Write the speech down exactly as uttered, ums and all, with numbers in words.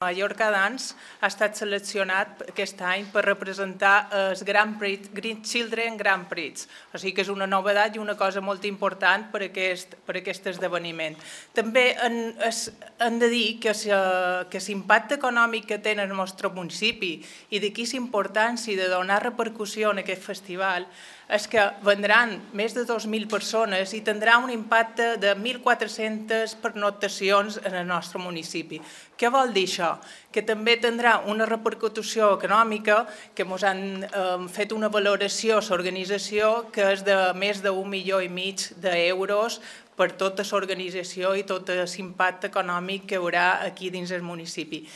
Mallorca Dance ha estat seleccionat aquest any per representar el Grand Prix, Green Children Grand Prix. O sigui que és una novetat i una cosa molt important per aquest, per aquest esdeveniment. També hem, hem de dir que l'impacte econòmic que té en el nostre municipi i d'aquí la importància de donar repercussió en aquest festival és que vendran més de dos mil persones i tindrà un impacte de mil quatre-centes pernoctacions en el nostre municipi. Què vol dir això? Que també tindrà una repercussió econòmica, que ens han eh, fet una valoració a l'organització que és de més d'un milió i mig d'euros per tota l'organització i tot l'impacte econòmic que hi haurà aquí dins el municipi.